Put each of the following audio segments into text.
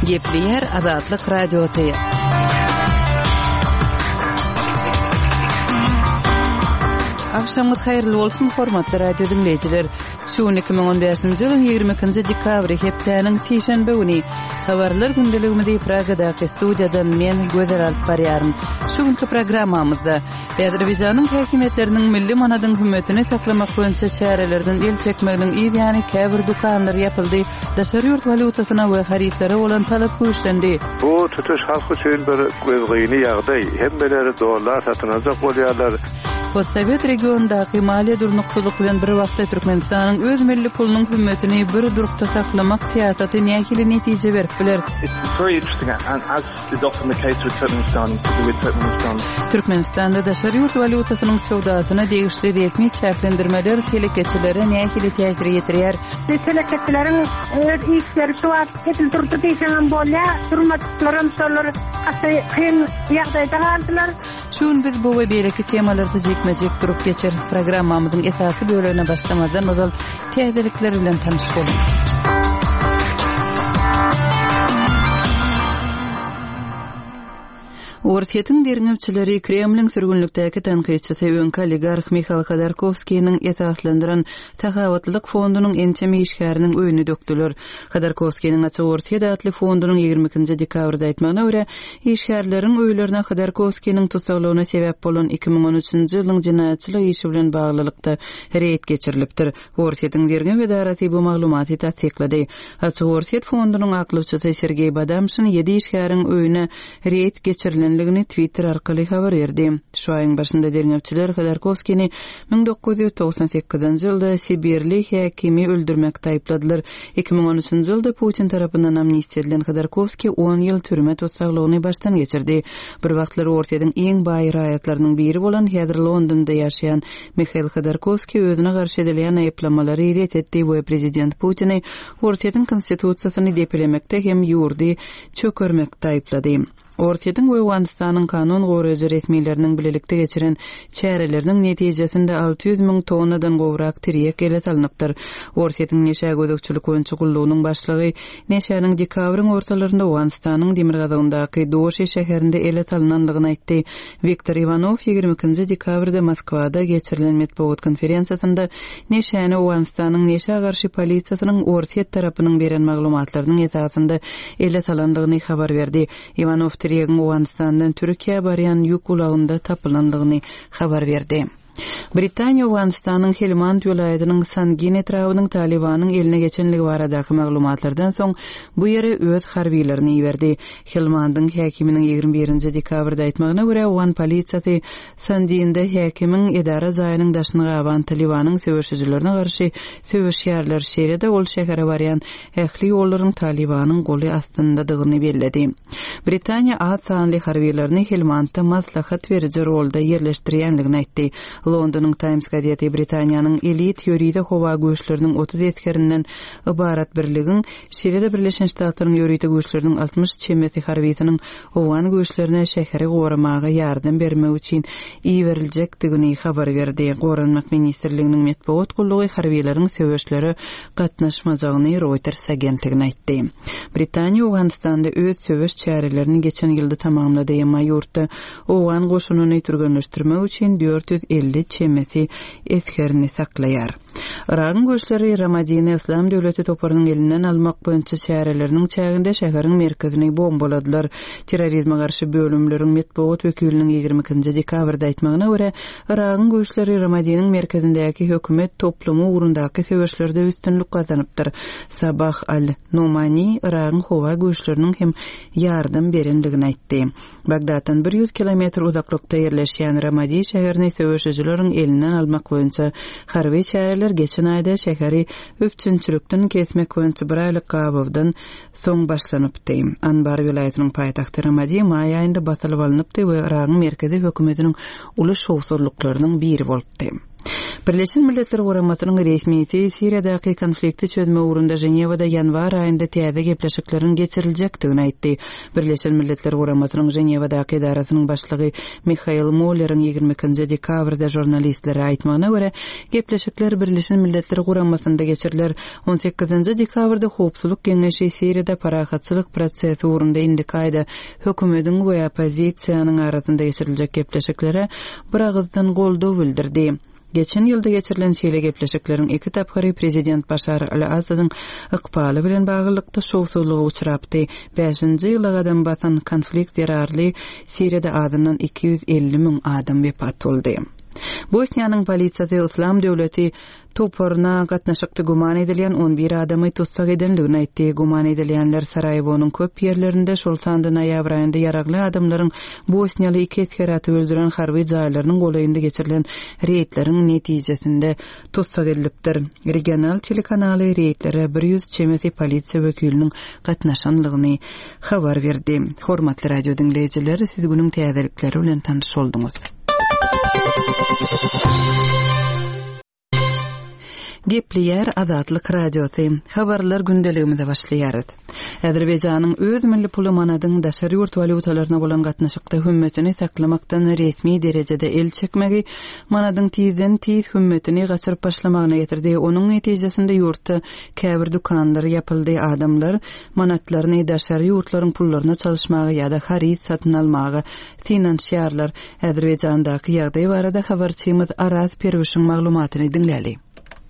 Gepleýär Azatlyk Radiosy. Agşamyňyz haýyrly bolsun, hormatly radio diňleýjiler. Şu gün 2015-nji ýylyň 22-nji dekabry, hepdäniň sişenbe güni. Habarlar gündeligimizi Pragadaky studiýadan men, Gözel alyp barýaryn. Şu günki programmamyzda Azerbaýjanyň häkimiýetleriniň milli manadyň hümmetini saklamak boýunça çärelerden el çekmeginiň yz ýany käbir dükanlar ýapyldy, daşary ýurt walýutasyna we harytlara bolan talap güýçlendi. Bu tutuş halk üçin bir gözgyny ýagdaý. Hemmeler dollar satyn aljak bolýarlar. Postsowet regionyndaky maliýe durnuksyzlyk bilen bir wagtda Türkmenistanyň öz milli pulunyň hümmetini bir durkda saklamak syýasaty nähili netije berip biler? Türkmenistanda daşary ýurt walýutasynyň söwdasyna degişli resmi çäklendirmeler telekeçilere nähili täsir ýetirýär? Telekeçileriň öz işleri şu wagt edil durdy diýseňem bolýar, durmadyklaram şolar gaty kyn ýagdaýda galdylar. Şu gün biz bu we beýleki temalarda jikme-jik durup geçeris. Programmamyzyň esasy bölegine başlamazdan ozal täzelikler bilen tanyş boluň. Orsýetiň derňewçileri Kremliň sürgünlikdäki tankytçysy öňki oligarh Mihail Hodorkowskiniň esaslandyran Sahawatlylyk fondunyň ençeme işgäriniň öýüni dökdüler. Hodorkowskiniň Açyk Orsýet atly fondunyň 22-nji dekabrda aýtmagyna görä, Işgärleriň öýlerine Hodorkowskiniň tussaglygyna sebäp bolan 2013-nji ýylyň jenaýatçylyk işi bilen baglylykda reýd geçirilipdir. Orsýetiň derňew edarasy bu maglumaty tassyklady. Açyk Orsýet fondunyň aklawçysy Sergeý Badamşin ýedi işgäriň öýüne reýd geçirilendigini Twitter arkaly habar berdi. Şu aýyň başynda derňewçiler Hodorkowskini 1998-nji ýylda sibirli häkimi öldürmekde aýypladylar. 2013-nji ýylda Putin tarapyndan amnistiýa edilen Hodorkowskiý on ýyl türme tussaglygyny başdan geçirdi. Bir wagtlar Orsýetiň iň baý raýatlarynyň biri bolan, häzir Londonda ýaşaýan Mihail Hodorkowskiý özüne garşy edilýän aýyplamalary ret etdi we prezident Putini Orsýetiň konstitusiýasyny depelemekde hem ýurdy çökermekde aýyplady. Orsýetiň we Owganystanyň kanun goraýjy resmileriniň bilelikde geçiren çäreleriniň netijesinde 600 müň tonnadan gowrak tirýek ele salnypdyr. Orsýetiň neşä gözegçilik boýunça gullugynyň başlygy neşäniň dekabryň ortalarynda Owganystanyň demirgazygyndaky Doşi şäherinde ele salnandygyny aýtdy. Wiktor Iwanow 22-nji dekabrda Moskwada geçirilen metbugat konferensiýasynda neşäni Owganystanyň neşä garşy polisiýasynyň Orsýet tarapynyň beren maglumatlarynyň esasynda ele salandygyny habar berdi. Iwanow tirýegiň Owganystandan Türkiýä barýan ýük ulagynda tapylandygyny habar berdi. Britaniýa Owganystanyň Helmand welaýatynyň Sangin etrabynyň Talybanyň eline geçenligi baradaky maglumatlardan soň bu ýere öz harbylaryny iberdi. Helmandyň häkiminiň 21-nji dekabrda aýtmagyna görä, owgan polisiýasy Sandinde häkimiň edara jaýynyň daşyny gaban Talybanyň söweşijilerine garşy söweşýärler, şeýle-de ol şähere barýan ähli ýollaryň Talybanyň goly astyndadygyny belledi. Britaniýa az sanly harbylaryny Helmandda maslahat beriji rolda ýerleşdirýändigini aýtdy. Londonyň Times gazeti Britaniýanyň elit ýörite howa güýçleriniň 30 esgerinden ybarat birligiň, şeýle-de Birleşen Ştatlaryň ýörite güýçleriniň 60 çemesi harbysynyň owgan güýçlerine şäheri goramaga ýardam bermek üçin iberiljekdigini habar berdi. Goranmak ministrliginiň metbugat gullugy harbylaryň söweşlere gatnaşmajagyny Reuters agentligine aýtdy. Britaniýa Owganystanda öz söweş çärelerini geçen ýylda tamamlady, emma ýurtda owgan goşunyny türgenleşdirmek üçin 450 çemesi esgerini saklaýar. Yragyň güýçleri Ramadini Yslam döwleti toparynyň elinden almak boýunça çäreleriniň çäginde şäheriň merkezini bombaladylar. Terrorizme garşy bölümleriň metbugat wekiliniň 22-nji dekabrda aýtmagyna görä, Yragyň güýçleri Ramadiniň merkezindäki hökümet toplumy ugrundaky söweşlerde üstünlik gazanypdyr. Sabah al-Nomani Yragyň howa güýçleriniň hem ýardam berendigini aýtdy. Bagdatdan bir ýüz kilometr uzaklykda ýerleşýän Ramadi şäherini söweşijileriň elinden almak boýunça harby çäreler geçen aýda şäheri üpjünçilikden kesmek boýunça bir aýlyk gabawdan soň başlanypdy. Anbar welaýatynyň paýtagty Ramadi maý aýynda basylyp alnypdy we Yragyň merkezi hökümetiniň uly şowsuzlyklarynyň biri bolupdy. Birleşen Milletler Guramasynyň resmisi Siriýadaky konflikti çözmek ugrunda Ženewada ýanwar aýynda täze gepleşikleriň geçiriljekdigini aýtdy. Birleşen Milletler Guramasynyň Ženewadaky edarasynyň başlygy Mihael Molleriň 22-nji dekabrda žurnalistlere aýtmagyna görä, gepleşikler Birleşen Milletler Guramasynda geçiriler. On sekizinji dekabrda Howpsuzlyk Geňeşi Siriýada parahatçylyk prosesi ugrunda indiki aýda hökümediň we oppozisiýanyň arasynda geçiriljek gepleşiklere biragyzdan goldaw bildirdi. Geçen ýylda geçirilen şeýle gepleşikleriň iki tapgyry prezident Başar al-Assadyň ykbaly bilen baglylykda şowsuzlyga uçrapdy. Bäşinji ýyla gadam basan konflikt zerarly Siriýada azyndan 250 müň adam wepat boldy. Bosniýanyň polisiýasy Yslam döwleti toparyna gatnaşykda güman edilýän on bir adamy tussag edendigini aýtdy. Güman edilýänler Saraýewonyň köp ýerlerinde, şol sanda noýabr aýynda ýaragly adamlaryň bosniýaly iki esgeri atyp öldüren harby jaýlarynyň golaýynda geçirilen reýdleriň netijesinde tussag edilipdir. Regional telekanaly reýdlere 100 çemesi polisiýa wekiliniň gatnaşanlygyny habar berdi. Hormatly radio diňleýjiler, siz günüň täzelikleri bilen tanyş bolduňyz. Gepleýär Azatlyk Radiosy. Habarlar gündeligimize başlaýarys. Azerbaýjanyň öz milli puly manadyň daşary ýurt walýutalaryna bolan gatnaşykda hümmetini saklamakdan resmi derejede el çekmegi manadyň tizden-tiz hümmetini gaçyryp başlamagyna getirdi. Onuň netijesinde ýurtda käbir dükanlar ýapyldy, adamlar manatlaryny daşary ýurtlaryň pullaryna çalyşmaga ýa-da haryt satyn almaga synanyşýarlar. Azerbaýjandaky ýagdaý barada habarçymyz Araz Perwişiň maglumatyny diňläli.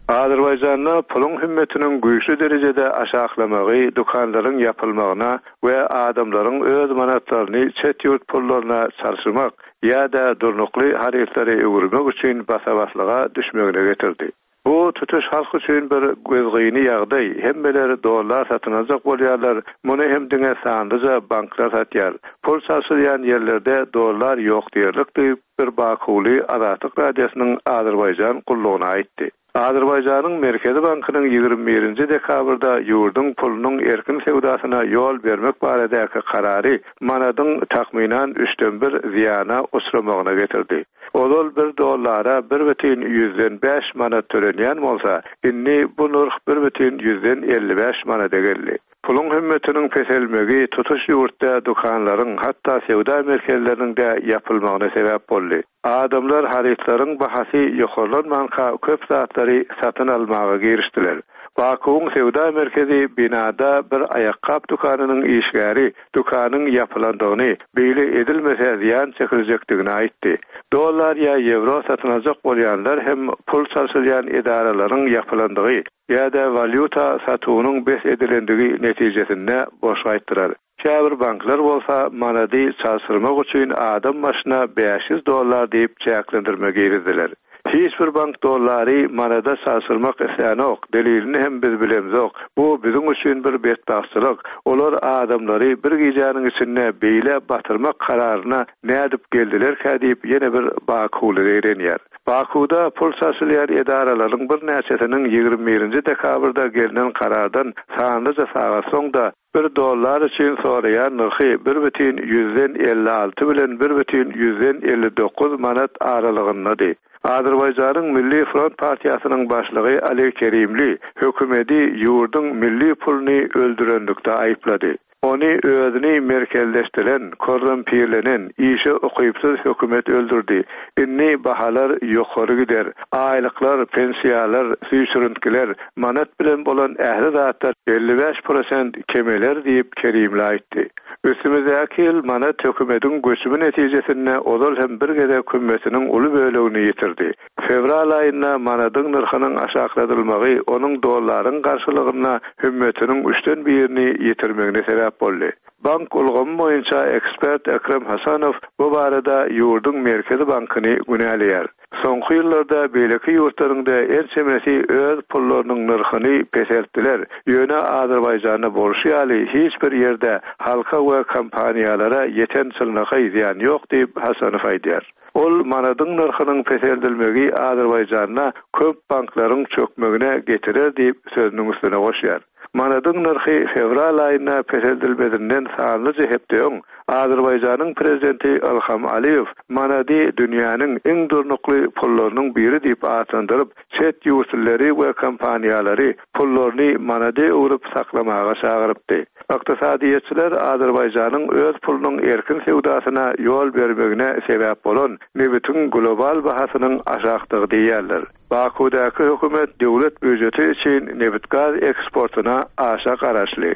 Azerbaýjanda puluň hümmetiniň güýçli derejede aşaklamagy dükanlaryň ýapylmagyna we adamlaryň öz manatlaryny çet ýurt pullaryna çalşyrmak ýa-da durnukly harytlary öwürmek üçin basa-baslyga düşmegine getirdi. Bu tutuş halk üçin bir gözgyny ýagdaý, hemmeler dollar satyn aljak bolýarlar, muny hem diňe sanlyja banklar satýar. Pul çalşylýan ýerlerde dollar ýok diýerlik diýip, bir bakuwly Azatlyk Radiosynyň Azerbaýjan gullugyna aýtdy. Azerbaýjanyň Merkezi bankynyň 21 nji dekabrda ýurduň pulunyň erkin söwdasyna ýol bermek baradaky karary manadyň takmynan üçden bir zyýana uçramagyna getirdi. Ozal bir dollara bir bütin ýüzden bäş manat tölenýän bolsa, indi bu nyrh bir bütin ýüzden 55 manada geldi. Puluň hümmetiniň peselmegi tutuş ýurtda dükanlaryň, hatda söwda merkezleriniň-de ýapylmagyna sebäp boldy. Adamlar harytlaryň bahasy ýokarlanmanka köp zatlary satyn almaga girişdiler. Bakuwyň söwda merkezi binada bir aýakgap dükanynyň işgäri dükanyň ýapylandygyny, beýle edilmese zyýan çekiljekdigini aýtdy. Dollar ýa ýewro satyn aljak bolýanlar hem pul çalşylýan edaralaryň ýapylandygy ýa-da walýuta satuwynyň bes edilendigi netijesinde boş gaýtdylar. Käbir banklar bolsa manady çalşyrmak üçin adam başyna 500 dollar diýip çäklendirme girizdiler. Hiç bir bank dollary manada çalşyrmak islänok, delilini hem biz bilemzok. Bu biziň üçin bir betbagtçylyk. Olar adamlary bir gijäniň içinde beýle batyrmak kararyna nädip geldilerkä diýip ýene bir bakuwly zeýrenýär. Bakuwda pul çalşylýan edaralaryň birnäçesiniň 21-nji dekabrda gelnen karardan sanlyja sagat soň-da Bir dollar üçin soraýan nyrhy bir bütin ýüzden 56 bilen bir bütin ýüzden 59 manat aralygyndady. Azerbaýjanyň Milli front partiýasynyň başlygy Ali Kerimli hökümeti ýurduň milli puluny öldürenlikde aýyplady. Ony özüni merkezleşdiren, korrumpirlenen, işe ukypsyz hökümet öldürdi. Indi bahalar ýokary gider. Aýlyklar, pensiýalar, süýşürintgiler, manat bilen bolan ähli zatlar 55 prosent kemeler diýip, Kerimli aýtdy. Üstümizdäki ýyl manat hökümetiň göçümi netijesinde ozal hem bir gezek hümmetiniň uly bölegini ýitirdi. Fewral aýynda manadyň nyrhynyň aşakladylmagy onuň dollaryň garşylygynda hümmetiniň üçden birini ýitirmegine sebäp boldy. Bank ulgamy boýunça ekspert Ekrem Hasanow bu barada ýurduň Merkezi bankyny günäleýär. Soňky ýyllarda beýleki ýurtlaryň-da ençemesi öz pullarynyň nyrhyny peseltdiler, ýöne Azerbaýjanda bolşy ýaly hiç bir ýerde halka we kompaniýalara ýeten çynlakaý zyýan ýok diýip, Hasanow aýdýar. Ol manadyň nyrhynyň peseldilmegi Azerbaýjanda köp banklaryň çökmegine getirer diýip, sözüniň üstüne goşýar. Manadyň nyrhy fewral aýynda peseldilmezinden sanlyja hepde öň, Azerbaýjanyň prezidenti Ilham Aliýew manady dünýäniň iň durnukly pullarynyň biri diýip atlandyryp, çet ýurtlylary we kompaniýalary pullaryny manada öwrüp saklamaga çagyrypdy. Ykdysadyýetçiler Azerbaýjanyň öz pulunyň erkin söwdasyna ýol bermegine sebäp bolan nebitiň global bahasynyň aşakdygy diýýärler. Bakuwdaky hökümet döwlet býujeti üçin nebit-gaz eksportyna aşa garaşly.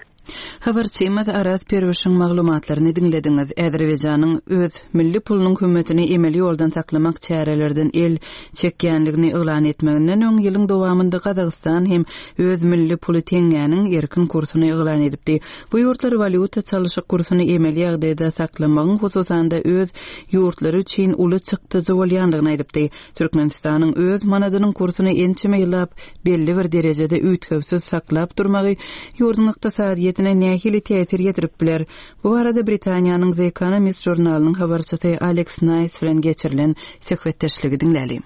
Habarçymyz Araz Perwişiň maglumatlaryny diňlediňiz. Azerbaýjanyň öz milli pulunyň hümmetini emeli ýoldan saklamak çärelerden el çekýänligini yglan etmeginden öň ýylyň dowamynda Gazagystan hem öz milli puly teňňäniň erkin kursuny yglan edipdi. Bu ýurtlar walýuta çalyşyk kursuny emeli ýagdaýda saklamagyň hususan-da öz ýurtlary üçin uly çykdajy bolýandygyny aýdypdy. Türkmenistanyň öz manadynyň kursuny ençeme ýyllap belli bir derejede üýtgewsiz saklap durmagy ýurduň ykdysadyýetine nähili täsir ýetirip biler? Bu barada Britaniýanyň The Economist žurnalynyň habarçysy Aleks Naýs bilen geçirilen söhbetdeşligi diňläliň.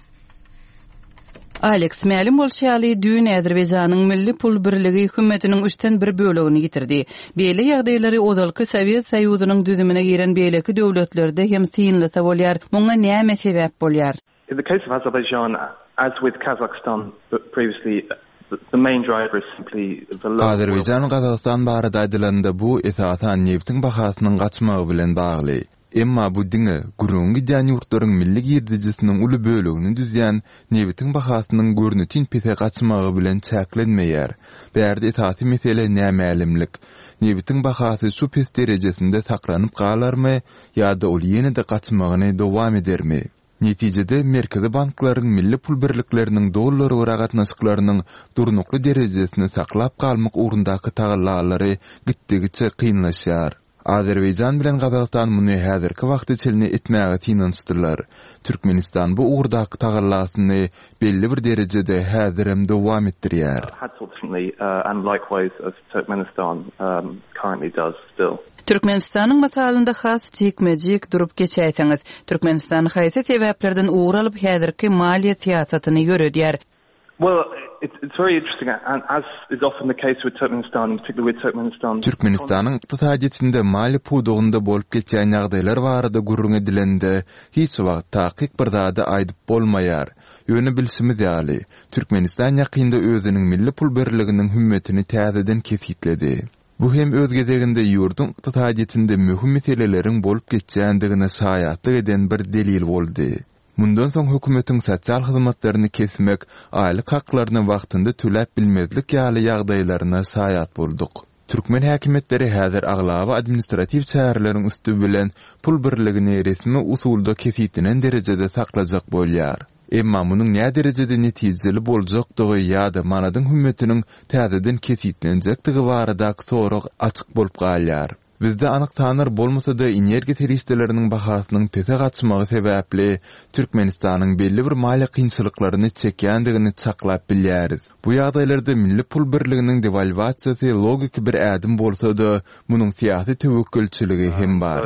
Aleks, mälim bolşy ýaly, düýn Azerbaýjanyň milli pul birligi hümmetiniň üçden bir bölegini ýitirdi. Beýle ýagdaýlary ozalky Sowet Soýuzynyň düzümine giren beýleki döwletlerde hem synlasa bolýar. Muňa näme sebäp bolýar? In the case of Azerbaijan, as with Kazakhstan previously, the main driver is simply the low oil. Azerbaýjan we Gazagystan barada aýdylanda bu, esasan, nebitiň bahasynyň gaçmagy bilen bagly. Emma bu diňe, gürrüňi gidýän ýurtlaryň milli girdejisiniň uly bölegini düzýän nebitiň bahasynyň görnetin pese gaçmagy bilen çäklenmeýär. Bärde esasy mesele nämälimlik. Nebitiň bahasy şu pes derejesinde saklanyp galarmy ýa-da ol ýene-de gaçmagyny dowam edermi? Netijede, merkezi banklaryň milli pul birlikleriniň dollara görä gatnaşyklarynyň durnukly derejesini saklap galmak ugrundaky tagallalary gitdigiçe kynlaşýar. Azerbaýjan bilen Gazagystan muny häzirki wagta çenli etmäge synanyşdylar. Türkmenistan bu ugurdaky tagallasyny belli bir derejede häzirem dowam etdirýär. Türkmenistanyň mysalynda has jikme-jik durup geçäýseňiz. Türkmenistan haýsy sebäplerden ugur alyp häzirki maliýe syýasatyny ýöredýär? Türkmenistanyň ykdysadyýetinde maliýe pudagynda bolup geçýän ýagdaýlar barada gürrüň edilende, hiç wagt takyk bir zady aýdyp bolmaýar. Ýöne bilşimiz ýaly, Türkmenistan ýakynda özüniň milli pul birliginiň hümmetini täzeden kesgitledi. Bu hem öz gezeginde ýurduň ykdysadyýetinde möhüm meseleleriň bolup geçýändigine şaýatlyk eden bir delil boldy. Mundan soň hökümetiň sosial hyzmatlaryny kesmek, aýlyk haklaryny wagtynda töläp bilmezlik ýaly ýagdaýlaryna şaýat bolduk. Türkmen häkimiýetleri häzir aglaba administratiw çäreleriň üsti bilen pul birligini resmi usulda kesgitlenen derejede saklajak bolýar. Emma munuň näderejede netijeli boljakdygy ýa-da manadyň hümmetiniň täzeden kesgitlenjekdigi baradaky sorag açyk bolup galýar. Bizde anyk sanlar bolmasa-da, energiýa serişdeleriniň bahasynyň pese gaçmagy sebäpli Türkmenistanyň belli bir maliýe kynçylyklaryny çekýändigini çaklap bilýäris. Bu ýagdaýlarda milli pul birliginiň dewalwasiýasy logiki bir ädim bolsa-da, munuň syýasy töwekgelçiligi hem bar.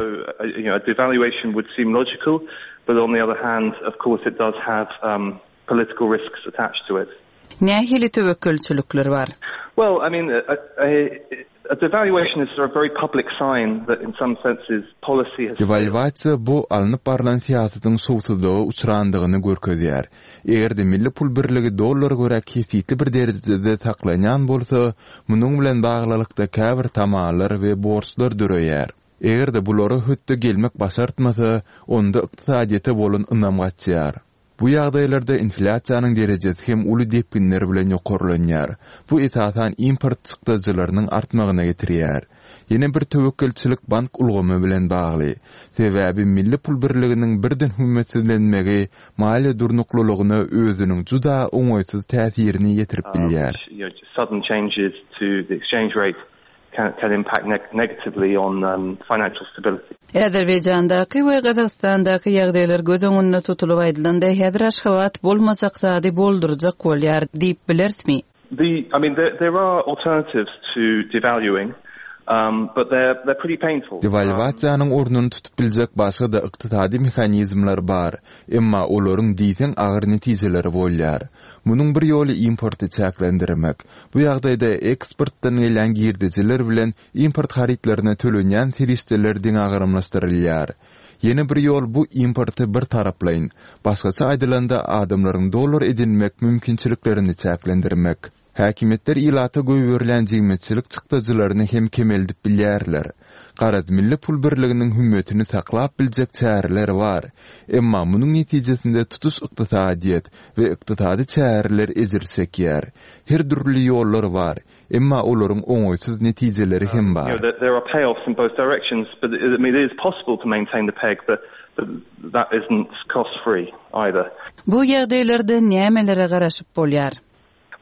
Nähili töwekgelçilikler bar? Dewalwasiýa bu alnyp barlan syýasatyň şowsuzlyga uçrandygyny görkezýär. Eger-de milli pul birligi dollara görä kesgitli bir derejede saklanýan bolsa, munuň bilen baglylykda käbir tamalar we borçlar döreýär. Eger-de bulara hötde gelmek başartmasa, onda ykdysadyýete bolan ynam gaçýar. Bu ýagdaýlarda inflýasiýanyň derejesi hem uly depginler bilen ýokarlanýar. Bu esasan import çykdajylarynyň artmagyna getirýär. Ýene bir töwekgelçilik bank ulgamy bilen bagly. Sebäbi milli pul birliginiň birden hümmetsizlenmegi maliýe durnuklylygyna özüniň juda oňaýsyz täsirini ýetirip bilýär. Can impact negatively on financial stability. Azerbaýjandaky we Gazagystandaky ýagdaýlar göz öňünde tutulyp aýdylanda, häzir Aşgabat bolmajak zady boldurjak bolýar diýip bilerismi? The, I mean, there, there are alternatives to devaluing. But they're they're pretty painful. Dewalwasiýanyň ornuny tutup biljek başga-da ykdysady mehanizmler bar, emma olaryň diýseň agyr netijeleri bolýar. Munuň bir ýoly importy çäklendirmek. Bu ýagdaýda eksportdan gelýän girdejiler bilen import harytlaryna tölenýän serişdeler deňagramlaşdyrylýar. Ýene bir ýol bu importy bir taraplaýyn, başgaça aýdylanda adamlaryň dollar edinmek mümkinçiliklerini çäklendirmek. Häkimiýetler ilata goýberilýän jigmetçilik çykdajylaryny hem kemeldip bilýärler. Garaz, milli pul birliginiň hümmetini saklap biljek çäreler bar. Emma munuň netijesinde tutuş ykdysadyýet we ykdysady çäreler ejir çekýär. Her dürli ýollar bar, emma olaryň oňaýsyz netijeleri hem bar. Bu ýagdaýlarda nämelere garaşyp bolýar?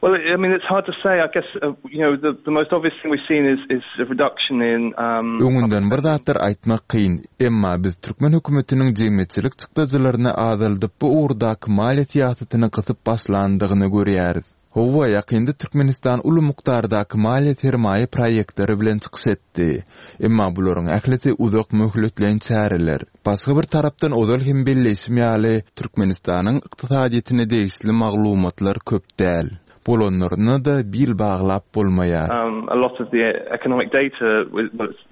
Well, I mean, it's hard to say. I guess, uh, you know, the, the most obvious thing we've seen is, is a reduction in... Um, Öňünden bir zatlar aýtmak kyn. Emma biz türkmen hökümetiniň jemgyýetçilik çykdajylaryny azaldyp, bu ugurdaky maliýe syýasatyny gysyp başlandygyny görýäris. Hawa, ýakynda Türkmenistan uly mukdardaky maliýe-sermaýa proýektleri bilen çykyş etdi. Emma bularyň ählisi uzak möhletleýin çäreler. Başga bir tarapdan ozal hem belleýşim ýaly, Türkmenistanyň ykdysadyýetine degişli maglumatlar köp däl. Bolanlaryna-da bil baglap bolmaýar. A lot of the economic data,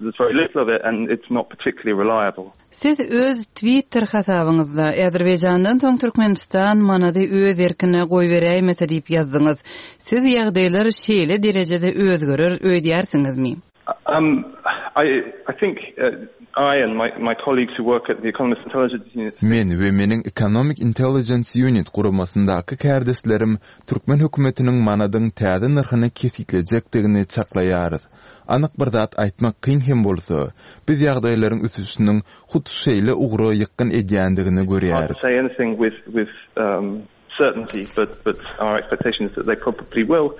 there's very little of it and it's not particularly reliable. Siz öz Twitter hasabyňyzda, Azerbaýjandan soň Türkmenistan manady öz erkine goýberäýmese diýip ýazdyňyz. Siz ýagdaýlar şeýle derejede özgerer öýdýärsiňizmi? I think I and my my colleagues who work at the Economist Intelligence Unit. Men we meniň Economic Intelligence Unit guramasyndaky kärdeşlerim türkmen hökümetiniň manadyň täze nyrhyny kesgitlejekdigini çaklaýarys. Anyk bir zat aýtmak kyn hem bolsa, biz ýagdaýlaryň ösüşiniň hut şeýle ugra ýykgyn edýändigini görýäris. Certainty, but but our expectation is that they probably will.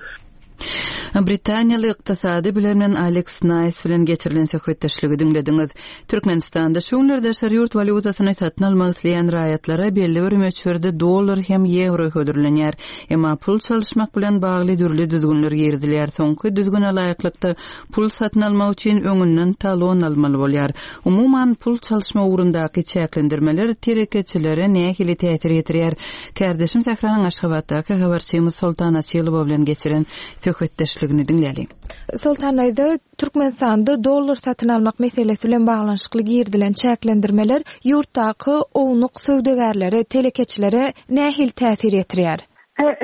Britaniýaly ykdysady bilermen Aleks Naýs bilen geçirilen söhbetdeşligi diňlediňiz. Türkmenistanda şu günler daşary ýurt walýutasyny satyn almak isleýän raýatlara belli bir möçberde dollar hem ýewro hödürlenýär. Emma pul çalyşmak bilen bagly dürli düzgünler girizilýär. Soňky düzgüne laýyklykda, pul satyn almak üçin öňünden talon almaly bolýar. Umuman, pul çalyşma ugrundaky çäklendirmeler telekeçilere nähili täsir ýetirýär? Kärdeşim Sähranyň Aşgabatdaky habarçymyz Soltan Açylowa bilen geçiren söhbetdeşligini diňläliň. Soltan daýza, Türkmenistanda dollar satyn almak meselesi bilen baglanyşykly girizilen çäklendirmeler ýurtdaky ownuk söwdagärlere, telekeçilere nähili täsir ýetirýär?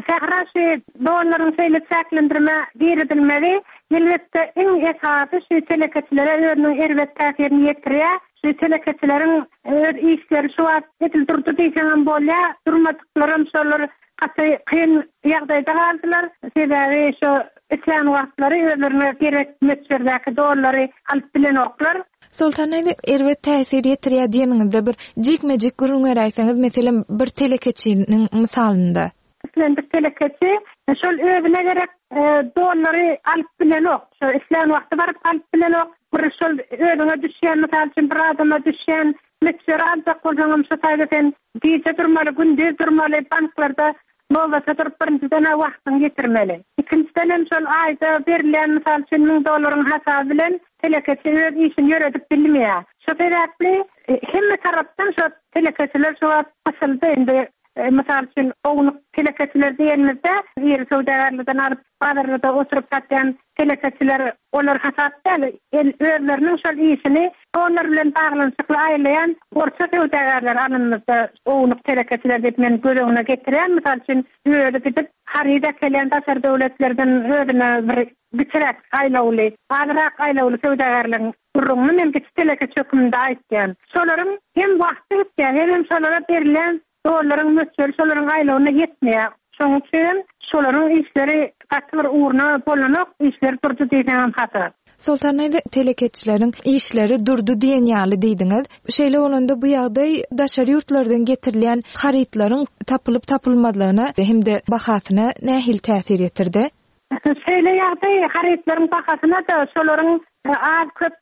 Sähra şu dollaryň şeýle çäklendirme girizilmegi elbetde iň esasy şu telekeçilere özüniň erbet täsirini ýetirýär. Şu telekeçileriň öz işleri şu wagt edil durdy diýseňem bolýar. Durmadyklaram şolar gaty kyn ýagdaýda galdylar. Sebäbi şu islän wagtlary özlerine gerek möçberdäki dollary alyp bilenoklar. Soltan daýza, erbet täsir ýetirýär diýeniňizde bir jikme-jik gürrüň beräýseňiz, meselem, bir telekeçiniň mysalynda. Islendik telekeçi şol özüne gerek dollary alyp bilenok. Şo islän wagty baryp alyp bilenok. Bir şol özüňe düşýän, mysal üçin, bir adama düşýän möçberi aljak bolsaňam şo taýda sen gije durmaly, gündiz durmaly, banklarda Nobata durup birinjiden-ä wagtyňy ýitirmeli. Ikinjidenem şol aýda berilýän mysal üçin müň dollaryň hasaby bilen telekeçi öz işini ýöredip bilmeýär. Şo sebäpli hemme tarapdan şo telekeçiler şu wagt gysyldy. Indi mysal üçin ownuk telekeçiler diýenimizde iri söwdagärlerden alyp bazarlarda oturyp satýan telekeçiler olar hasap däl. Özleriniň şol işini dollar bilen baglanyşykly aýlaýan orta söwdagärler alynymyzda ownuk telekeçiler diýip men göz öňüne getirýän. Mysal üçin, özi gidip haryt äkelýän daşary döwletlerden özüne bir kiçiräk aýlawly, azrak aýlawly söwdagärleriň gürrüňini men kiçi telekeçi hökmünde aýtýan. Şolaryň hem wagty gitýär, hemem şolara berilýän Dollaryň möçberi şolaryň aýlawyna ýetmeýär. Şonuň üçinem şolaryň işleri gaty bir ugruna bolanok, işleri durdy diýseňem hata. Soltan daýza, telekeçileriň işleri durdy diýen ýaly diýdiňiz. Şeýle bolanda bu ýagdaý daşary ýurtlardan getirilýän harytlaryň tapylyp-tapylmazlygyna hem-de bahasyna nähili täsir ýetirdi? Şeýle ýagdaý harytlaryň bahasyna-da, şolaryň az-köp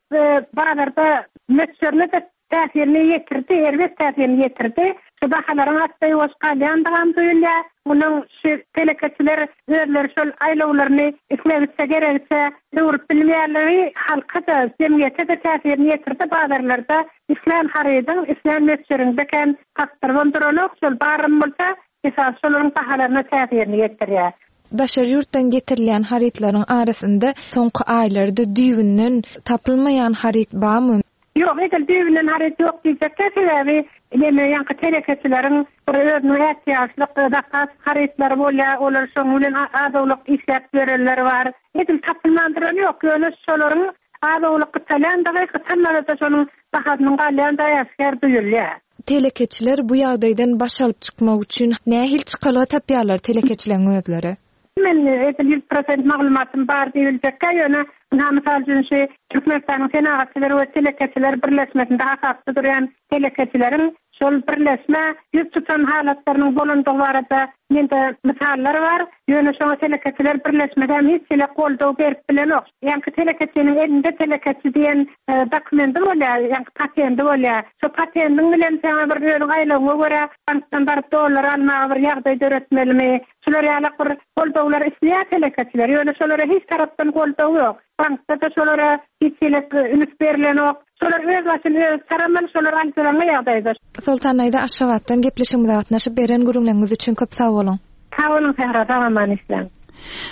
bazarda möçberine-de täsirini ýetirdi, erbet täsirini ýetirdi. Şu bahalaryň assa-ýuwaş galýandygam duýulýar. Munuň şu telekeçiler özleri şol aýlawlaryny islegiçe, geregiçe öwrüp bilmeýänligi halka-da, jemgyýete-de täsirini ýetirdi. Bazarlarda islän harydyň, islän möçberiňde kän tapdyrybam duranok. Şol baram bolsa, esasy şolaryň bahalaryna täsirini ýetirýär. Daşary ýurtdan getirilýän harytlaryň arasynda soňky aýlarda düýbünden tapylmaýan haryt barmy? Ýok, edil düýbünden haryt ýok diýjekkä, sebäbi neme ýaňky telekeçileriň bir özüniň ätiýaçlyk zapas harytlary bolýar, olar şoň bilen az-owlak işläp ýörenler bar. Edil tapylman duran ýok, ýöne şolaryň az-owlak gytalýandygy, gytalmasa-da şonuň bahasynyň galýandygy äşgär duýulýar. Telekeçiler bu ýagdaýdan baş alyp çykmak üçin nähili çykalga tapýarlar telekeçileriň özleri? Men edil 100% maglumatym bar diýibiljekkä, ýöne ynha mysal üçin şu Türkmenistanyň Senagatçylar we telekeçiler birleşmesinde hasapda durýan telekeçileriň şol birleşmä ýüz tutan halatlarynyň bolandygy barada mende mysallar bar. Ýöne şoňa telekeçiler birleşmesi hem hiç hili goldaw berip bilenok. Ýaňky telekeçiniň elinde telekeçi diýen dokumendi bolýar, ýaňky patendi bolýar. Şo patendiň bilen saňa bir özüň aýlygyňa görä bankdan baryp dollar almaga bir ýagdaý döretmelimi? Şular ýalak bir goldawlar isleýär telekeçiler, ýöne şolara hiç tarapdan goldaw ýok. Bankda-da şolara hiç hili üns berilenok. Şolar öz başyny özi çaramaly, şolar aljyraňňy ýagdaýda. Soltan daýza Aşgabatdan gepleşigimize gatnaşyp beren gürrüňleriňiz üçin köp sag boluň. Sag boluň Sähra, sag-aman işläň.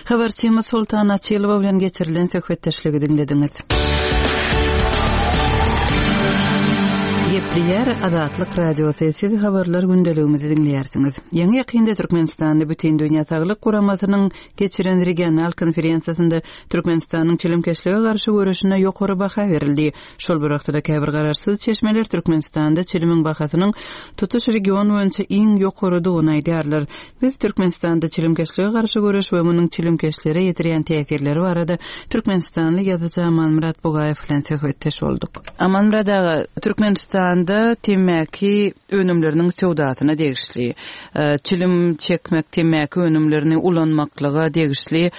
Habarçymyz Soltan Açylowa bilen geçirilen söhbetdeşligi diňlediňiz. Gepleýär Azatlyk Radiosy, siz habarlar gündeligimizi diňleýärsiňiz. Ýaňy-ýakynda Türkmenistanda Bütindünýä Saglyk Guramasynyň geçiren regional konferensiýasynda Türkmenistanyň çilimkeşlige garşy göreşine ýokary baha berildi. Şol bir wagtda-da käbir garaşsyz çeşmeler Türkmenistanda çilimiň bahasynyň tutuş region boýunça iň ýokarydygyny aýdýarlar. Biz Türkmenistanda çilimkeşlige garşy göreş we munuň çilimkeşlere ýetirýän täsirleri barada türkmenistanly ýazyjy Amanmyrat Bugaýew bilen söhbetdeş bolduk. Amanmyrat aga, Türkmenistanda temmäki önümleriniň söwdasyna degişli, çilim çekmek, temmäki önümlerini ulanmaklyga degişli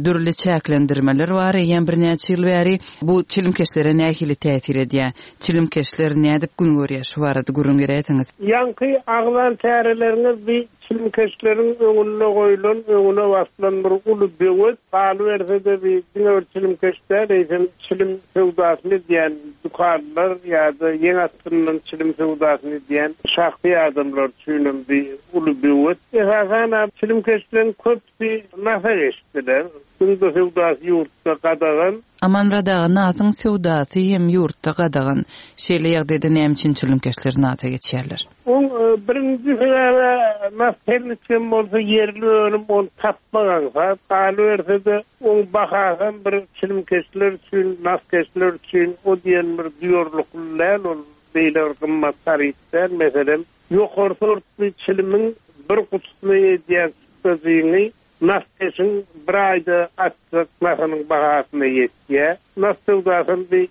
dürli çäklendirmeler bar eýýäm birnäçe ýyl bäri. Bu çilimkeşlere nähili täsir edýär? Çilimkeşler nädip gün görýär? Şu barada gürrüň beräýseňiz. Ýaňky agzan çäreleriňiz bi çilimkeşleriň öňünde goýlan, öňüne baslan bir uly böwet. Galyberse-de bi diňe bir çilimkeş däl, eýsem çilim söwdasyny edýän dükanlar ýa-da ýeň astyndan çilim söwdasyny edýän şahsy adamlar üçinem bi uly böwet. Esasanam çilimkeşleriň köpüsi nasa geçdiler. Şunda söwdasy ýurtda gadagan. Amanmyrat aga, nasyň söwdasy hem ýurtda gadagan. Şeýle ýagdaýda näme üçin çilimkeşler nasa geçýärler? Oň birinji sebäbi nas her niçigem bolsa ýerli önüm ony tapmak aňsat. Galyberse-de oň bahasam bir çilimkeşler üçin, naskeşler üçin o diýen bir duýarlykly däl ol beýle bir gymmat haryt däl. Meselem, ýokary sortly çilimiň bir gutusyna edýän çykdajyňy Naskeşiň bir aýda atjak nasynyň bahasyna ýetýär. Nas söwdasam bir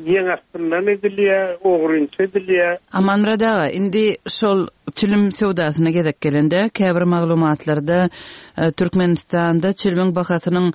ýeň astyndan edilýär, ogrynça edilýär. Amanmyrat aga, indi şol çilim söwdasyna gezek gelende, käbir maglumatlarda Türkmenistanda çilimiň bahasynyň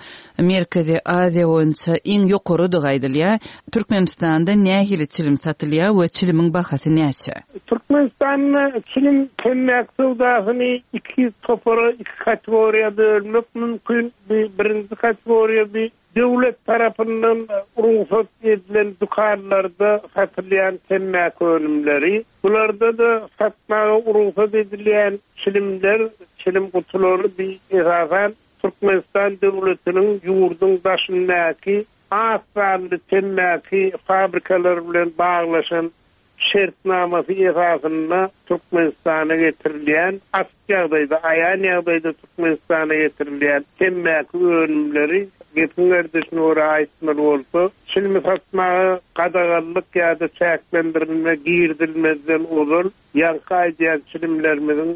Merkezi Aziýa boýunça iň ýokarydygy aýdylýar. Türkmenistanda nähili çilim satylýar we çilimiň bahasy näçe? Türkmenistanda çilim, temmäki söwdasyny iki topara, iki kategoriýa bölmek mümkin. Bu birinji kategoriýa bu döwlet tarapyndan rugsat edilen dükanlarda satylýan temmäki önümleri. Bularda-da satmaga rugsat edilýän çilimler, çilim gutulary bu esasan Türkmenistan döwletiniň ýurduň daşyndaky az sanly temmäki fabrikalary bilen baglaşan şertnamasy esasynda Türkmenistana getirilýän, açyk ýagdaýda, aýan ýagdaýda Türkmenistana getirilýän temmäki önümleri, gepiň gerdişine görä aýtmaly bolsa, çilimi satmaga gadaganlyk ýa-da çäklendirilme girizilmezden ozal Ýaňky aýdýan çilimlerimiziň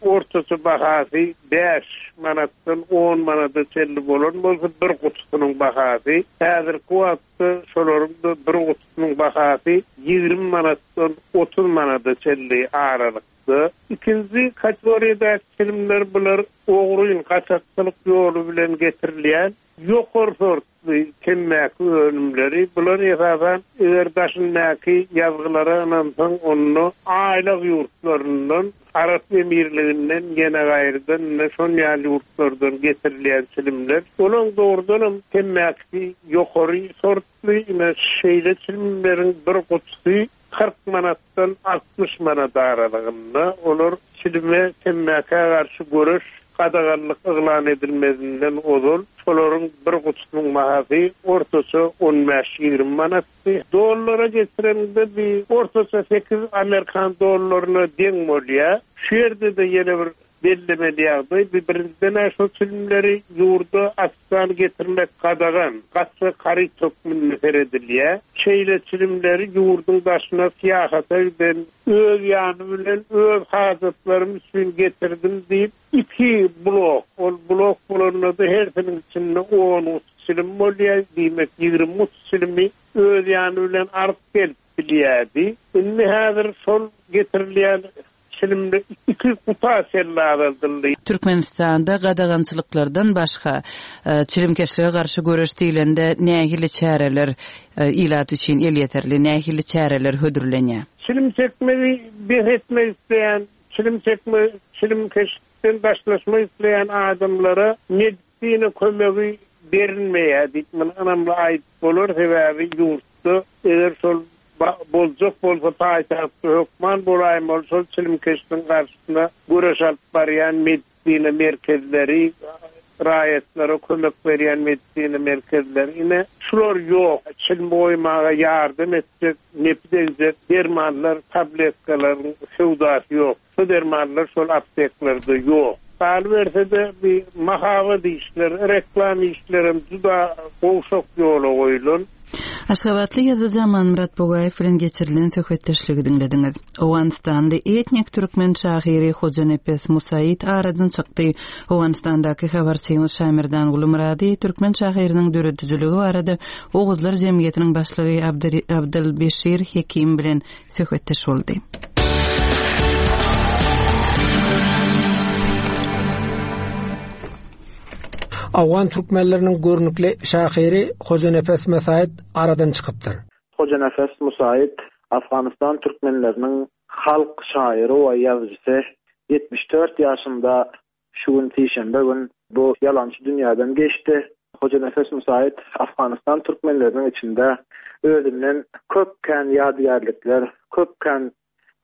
ortaça bahasy bäş manatdan on manada çenli bolan bolsa, bir gutusynyň bahasy, häzirki wagtda şolaryň-da bir gutusynyň bahasy 20 manatdan 30 manada çenli aralykda. Ikinji kategoriýadaky çilimler bular ogryn, gaçakçylyk ýoly bilen getirilýän ýokary sortly. sortly temmäki önümleri, bular esasan eger daşyndaky ýazgylara ynansaň onda aýlag ýurtlaryndan, Arap Emirliginden ýene gaýrydan ine şon ýaly ýurtlardan getirilýän çilimler. Olaň dogrudanam temmäkisi ýokary sortly, ine şeýle çilimleriň bir gutusy 40 manatdan 60 manat aralygynda. Olar çilime, temmäkä garşy göreş gadaganlyk yglan edilmezinden ozal şolaryň bir gutusynyň bahasy ortaça on bäş-ýigrimi manatdy. Dollara geçireniňde bi ortaça sekiz amerikan dollaryna deň bolýar. Şu ýerde-de ýene bir Bellemeli ýagdaý, bu birinjiden-ä şol çilimleri ýurda açykdan getirmek gadagan, gaçak haryt hökmünde seredilýär. Şeýle çilimleri ýurduň daşyna syýahata giden, öz ýany bilen öz hajatlarym üçin getirdim diýip, iki blok, ol blok bolanda-da hersiniň içinde on guty çilim bolýar, diýmek, 20 guty çilimi öz ýany bilen alyp gelip bilýärdi. Indi häzir şol getirilýän Çilimli iki guta çenli azaldyldy. Türkmenistanda gadagançylyklardan başga, çilimkeşlige garşy göreş diýlende nähili çäreler ilat üçin elýeterli, nähili çäreler hödürlenýär? Çilim çekmegi bes etmek isleýän, çilim çekme, çilimkeşlikden daşlaşmak isleýän adamlara medisina kömegi berilmeýär diýip, muny ynamly aýdyp bolar, sebäbi ýurtda eger şol Boljak bolsa paýtagtda hökman bolaýmaly şol çilimkeşligiň garşysyna göreş alyp barýan medisina merkezleri, raýatlara kömek berýän medisina merkezleri ine şular ýok. Çilim goýmaga ýardam etjek, nepi degjek dermanlar, tabletkalaryň söwdasy ýok. Şu dermanlar şol apteklerde ýok. Galyberse-de, bi mahabat işleri, reklam işlerem juda gowşak ýola goýlan. Aşgabatly ýazyjy Amanmyrat Bugaýew bilen geçirilen söhbetdeşligi diňlediňiz. Owganystanly etnik türkmen şahyry Hojanepes Musaid aradan çykdy. Owganystandaky habarçymyz Şamerdanguly Myrady türkmen şahyrynyň döredijiligi barada Oguzlar jemgyýetiniň başlygy Abdylbeşir Hekim bilen söhbetdeş boldy. Owgan türkmenleriniň görnükli şahyry Hojanepes Musaid aradan çykypdyr. Hojanepes Musaid Afganystan türkmenleriniň halk şaýyry we ýazyjysy, 74 ýaşynda Şu gün sişenbe gün bu ýalançy dünýäden geçdi. Hojanepes Musaid Afganystan türkmenleriniň içinde özünden köp kän ýadygärlikler, köp kän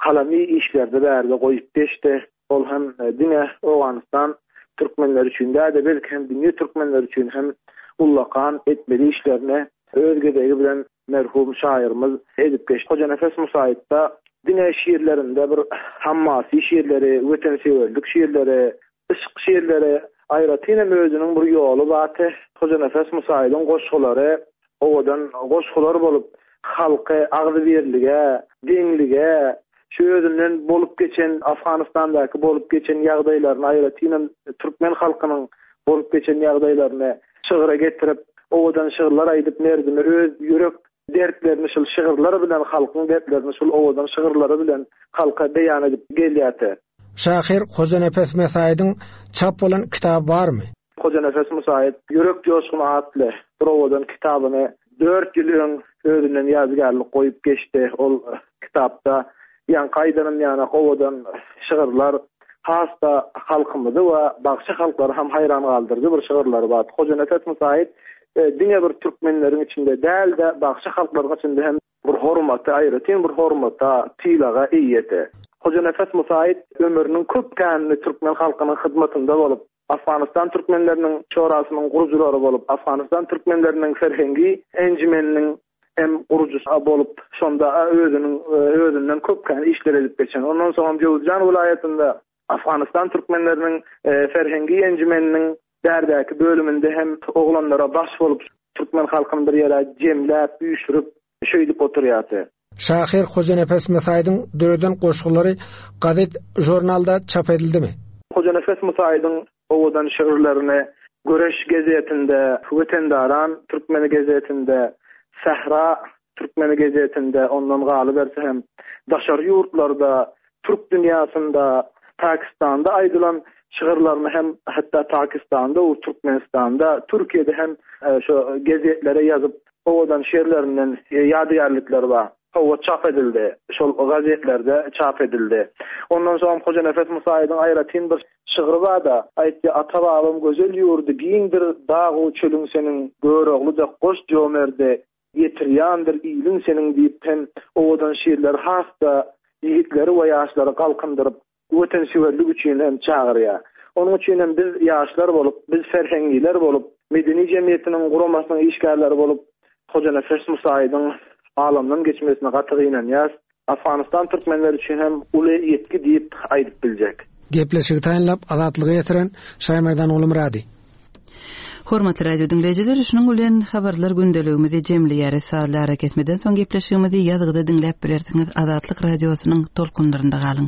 kalamy işlerini bärde goýup geçdi. Ol hem diňe Owganystan türkmenleri üçin däl-de, belki hem dünýe türkmenleri üçin hem ullakan etmeli işlerini öz gezegi bilen merhum şaýyrymyz edip geçdi. Hojanepes Musaýytda diňe şiirlerinde bir hammasy şiirleri, wetensöýerlik şiirleri, yşk şiirleri, aýratyn hem özüniň bir ýoly bardy. Hojanepes Musaýydyň goşgulary owadan goşgular bolup, halky agzybirlige, deňlige, şu özünden bolup geçen Afganystandaky bolup geçen ýagdaýlaryny, aýratyn hem türkmen halkynyň bolup geçen ýagdaýlaryny şygra getirip, owadan şygyrlar aýdyp merdime öz ýürek dertlerini şul şygyrlar bilen halkyň dertlerini şul owadan şygyrlary bilen halka beýan edip gelýärdi. Şahyr Hojanepes Mesaýydyň çap bolan kitaby barmy? Hojanepes Musaýyt Ýürek joşguny atly bir owadan kitabyny dört ýyl öň özünden ýadygärlik goýup geçdi. Ol kitapda ýaňky aýdanym ýanak owadan şygyrlar, has-da halkymyzy we bagşy halklary hem haýran galdyryjy bir şygyrlary bar. Hojanepes Musaýyt diňe bir türkmenleriň içinde däl-de, bagşy halklaryň içinde hem bir hormata, aýratyn bir hormata, sylaga eýedi. Hojanepes Musaýyt ömrüniň köp känini türkmen halkynyň hyzmatynda bolup, Afganystan türkmenleriniň şorasynyň gurujylary bolup, Afganystan türkmenleriniň ferhengi enjimeniniň hem gurujysy bolup, şonda özüniň özünden köp kän işler edip geçen. Ondan soň hem Jöwüzjan welaýatynda Afganystan türkmenleriniň ferhengi enjimeniniň bärdäki bölüminde hem oglanlara baş bolup, türkmen halkyny bir ýere jemläp, üýşürip, şeýdip oturýardy. Şahyr Hojanepes Musaýydyň döreden goşgulary gazet-žurnalda çap edildimi? Hojanepes Musaýydyň owadan şygyrlaryny Göreş gazetinde, Wetendaran türkmeni gazetinde, Sähra türkmeni gazetinde, ondan galyberse hem daşary ýurtlarda, türk dünýäsinde, Pakistanda aýdylan. Şygyrlaryny hem hatda Pakistanda we Türkmenistanda, Türkiýede hem şo gezetlere ýazyp, owadan şerlerinden ýadygärlikleri bar. Hawa, çap edildi. Şol gazetlerde çap edildi. Ondan soňam Hojanepes Musaýewiň aýratyn bir şygry bar-da, aýtýar, Ata-babam gözel ýurdy giňdir, dag-u çölüň seniň, Görogly dek goş jomerdi, ýetirýändir iliň seniň diýip hem owadan şirleri has-da ýigitleri we ýaşlary galkyndyryp, watansöýerlik üçin hem çagyrýar. Onuň üçin hem biz ýaşlar bolup, biz ferhengiler bolup, medeni jemgyýetiniň guramasynyň işgärleri bolup, Hojanepes Musaýewiň alamdan geçmesine gaty gynanýas. Afganystan türkmenleri üçin hem uly ýitgi diýip aýdyp biljek. Gepleşigi taýynlap, Azatlyga ýetiren, Şaýmerdan Gulumyrady. Hormatly radio diňleýjiler, şunuň bilen habarlar gündeligimizi jemleýäris. Sazly arakesmeden soň gepleşigimizi ýazgyda diňläp bilersiňiz. Azatlyk Radiosynyň tolkunlarynda galyň.